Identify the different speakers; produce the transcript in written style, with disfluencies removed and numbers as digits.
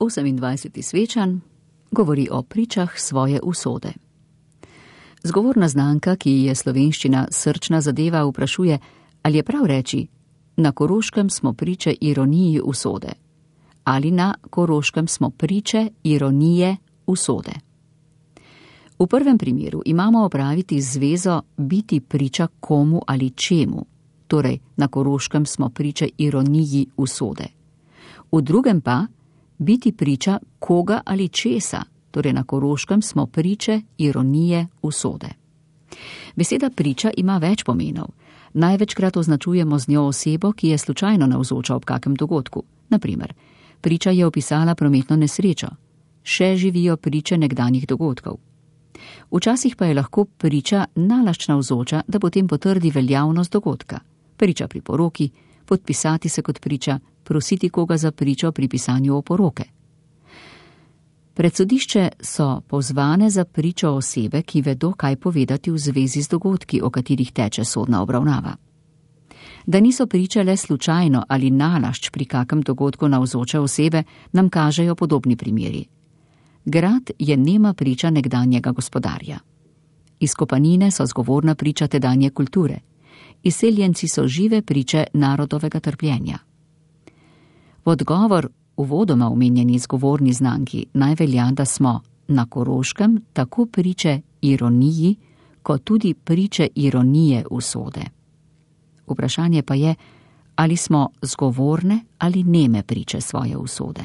Speaker 1: 28. svečan govori o pričah svoje usode. Zgovorna znanka, ki je slovenščina srčna zadeva, vprašuje, ali je prav reči, na Koroškem smo priče ironiji usode, ali na Koroškem smo priče ironije usode. V prvem primeru imamo opraviti zvezo biti priča komu ali čemu, torej na Koroškem smo priče ironiji usode. V drugem pa biti priča koga ali česa, torej na Koroškem smo priče ironije usode. Beseda priča ima več pomenov. Največkrat označujemo z njo osebo, ki je slučajno navzoča ob kakem dogodku. Naprimer, priča je opisala prometno nesrečo. Še živijo priče nekdanjih dogodkov. Včasih pa je lahko priča nalašč navzoča, da potem potrdi veljavnost dogodka. Priča pri poroki, podpisati se kot priča, prositi koga za pričo pri pisanju oporoke. Pred sodišče so pozvane za pričo osebe, ki vedo, kaj povedati v zvezi z dogodki, o katerih teče sodna obravnava. Da niso priče le slučajno ali nalašč pri kakem dogodku navzoče osebe, nam kažejo podobni primeri. Grad je nema priča nekdanjega gospodarja. Izkopanine so zgovorna priča tedanje kulture. Izseljenci so žive priče narodovega trpljenja. V odgovor uvodoma omenjeni zgovorni znanki naj velja, da smo na Koroškem tako priče ironiji, kot tudi priče ironije usode. Vprašanje pa je, ali smo zgovorne ali neme priče svoje usode.